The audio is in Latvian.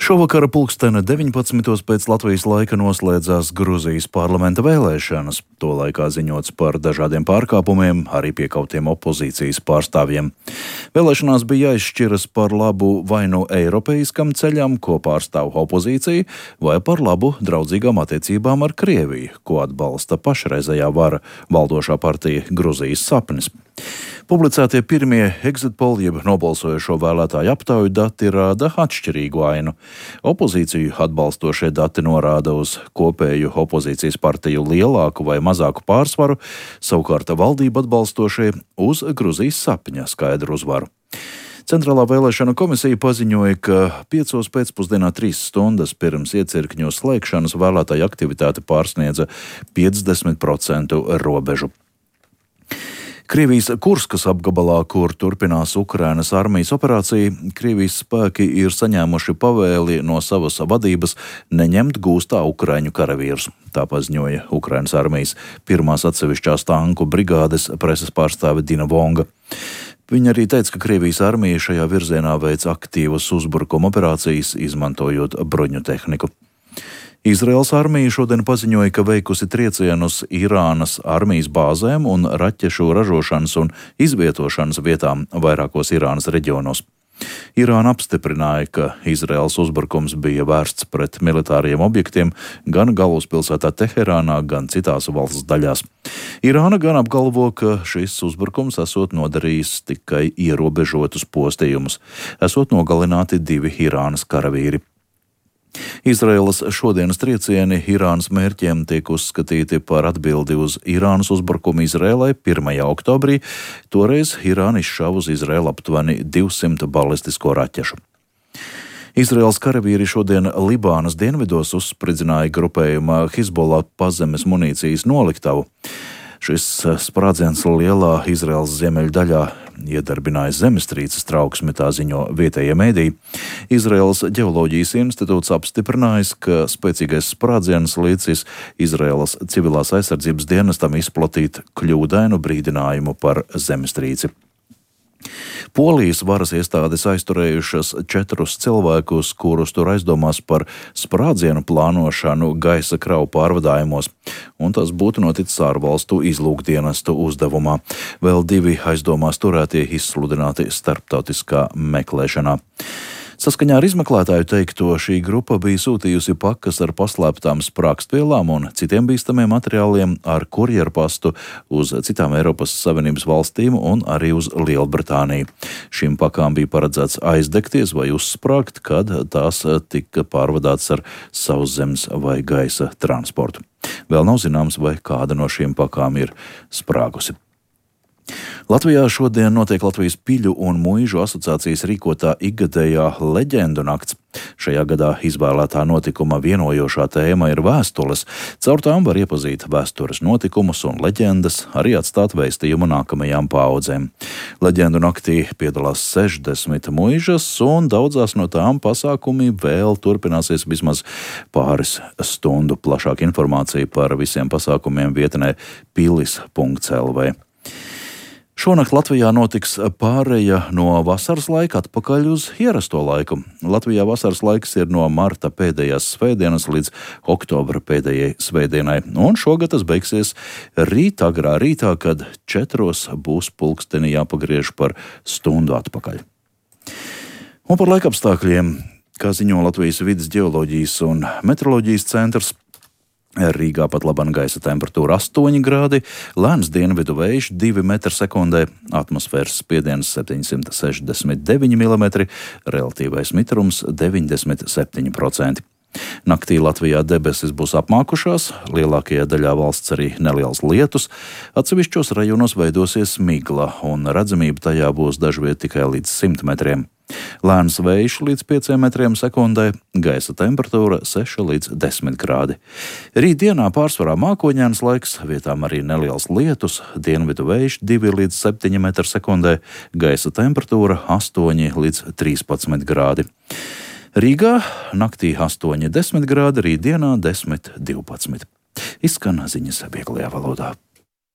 Šovakar pulksteni 19. pēc Latvijas laika noslēdzās Gruzijas parlamenta vēlēšanas. To laikā ziņots par dažādiem pārkāpumiem, arī piekautiem opozīcijas pārstāvjiem. Vēlēšanās bija jāizšķiras par labu vai nu eiropeiskam ceļam, ko pārstāv opozīcija, vai par labu draudzīgām attiecībām ar Krieviju, ko atbalsta pašreizējā vara valdošā partija Gruzijas sapnis. Publicētie pirmie exit poll jeb nobalsojošo vēlētāju aptauju dati rāda atšķirīgu ainu. Opozīciju atbalstošie dati norāda uz kopēju opozīcijas partiju lielāku vai mazāku pārsvaru, savukārt valdību atbalstošie uz Gruzijas sapņa skaidru uzvaru. Centrālā vēlēšana komisija paziņoja, ka 5. pēcpusdienā 3 stundas pirms iecirkņu slēgšanas vēlētāju aktivitāte pārsniedza 50% robežu. Krievijas Kurskas apgabalā, kur turpinās Ukrainas armijas operācija, Krievijas spēki ir saņēmuši pavēli no savas vadības neņemt gūstā ukraiņu karavīrus. Tā paziņoja Ukrainas armijas 1. atsevišķās tanku brigādes preses pārstāve Dina Vonga. Viņa arī teica, ka Krievijas armija šajā virzienā veic aktīvas uzbrukuma operācijas, izmantojot bruņu tehniku. Izraels armija šodien paziņoja, ka veikusi triecienus Irānas armijas bāzēm un raķešu ražošanas un izvietošanas vietām vairākos Irānas reģionos. Irāna apstiprināja, ka Izraels uzbrukums bija vērsts pret militāriem objektiem gan galvaspilsētā Teherānā, gan citās valsts daļās. Irāna gan apgalvo, ka šis uzbrukums esot nodarījis tikai ierobežotus postījumus, esot nogalināti 2 Irānas karavīri. Izraēlas šodienas triecieni Irānas mērķiem tiek uzskatīti par atbildi uz Irānas uzbrukumu Izraēlai 1. oktobrī. Toreiz Irāna izšāva uz Izraēlu aptuveni 200 balistisko raķešu. Izraēlas karavīri šodien Libānas dienvidos uzspridzināja grupējuma Hizbollah pazemes munīcijas noliktavu. Šis sprādziens lielā Izraēlas ziemeļdaļā iedarbināja zemestrīces trauksmi, tā ziņo vietējie mēdīji. Izraēlas ģeoloģijas institūts apstiprinājis, ka spēcīgais sprādziens līdzis Izraēlas civilās aizsardzības dienestam izplatīt kļūdainu brīdinājumu par zemestrīci. Polijas varas iestādes aizturējušas 4 cilvēkus, kurus tur aizdomās par sprādzienu plānošanu gaisa kravu pārvadājumos, un tas būtu noticis ārvalstu izlūkdienestu uzdevumā. Vēl 2 aizdomās turētie izsludināti starptautiskā meklēšanā. Saskaņā ar izmeklētāju teikto, šī grupa bija sūtījusi pakas ar paslēptām sprākstvielām un citiem bīstamiem materiāliem ar kurjerpastu uz citām Eiropas Savienības valstīm un arī uz Lielbritāniju. Šīm pakām bija paredzēts aizdegties vai uzsprāgt, kad tās tika pārvadātas ar sauszemes vai gaisa transportu. Vēl nav zināms, vai kāda no šīm pakām ir sprāgusi. Latvijā šodien notiek Latvijas Piļu un Muižu asociācijas rīkotā ikgadējā leģendu nakts. Šajā gadā izvēlētā notikuma vienojošā tēma ir vēstules. Caur tām var iepazīt vēstures notikumus un leģendas, arī atstāt vēstījumu nākamajām paaudzēm. Leģendu naktī piedalās 60 muižas, un daudzās no tām pasākumi vēl turpināsies vismaz pāris stundu. Plašāka informācija par visiem pasākumiem vietnē pilis.lv. Šonakt Latvijā notiks pāreja no vasaras laika atpakaļ uz ierasto laiku. Latvijā vasaras laiks ir no marta pēdējās svētdienas līdz oktobra pēdējai svētdienai, un šogad tas beigsies rīt agrā rītā, kad 4 būs pulksteni jāpagriež par stundu atpakaļ. Un par laikapstākļiem, kā ziņo Latvijas vides ģeoloģijas un meteoroloģijas centrs, Rīgā pat laban gaisa temperatūra 8 grādi, lēns dienvidu vējš 2 m/sekundē, atmosfēras spiediens 769 mm, relatīvais mitrums 97%. Naktī Latvijā debesis būs apmākušās, lielākajā daļā valsts arī neliels lietus, atsevišķos rajonos veidosies migla un redzamība tajā būs dažviet tikai līdz 100 metriem. Lēns vējš līdz 5 m/sekundē, gaisa temperatūra 6 līdz 10 grādi. Rītdienā pārsvarā mākoņains laiks, vietām arī neliels lietus, dienvidu vējš 2 līdz 7 m/sekundē, gaisa temperatūra 8 līdz 13 grādi. Rīgā naktī 8–10 grādi, rītdienā 10–12. Izskan ziņas vieglajā valodā.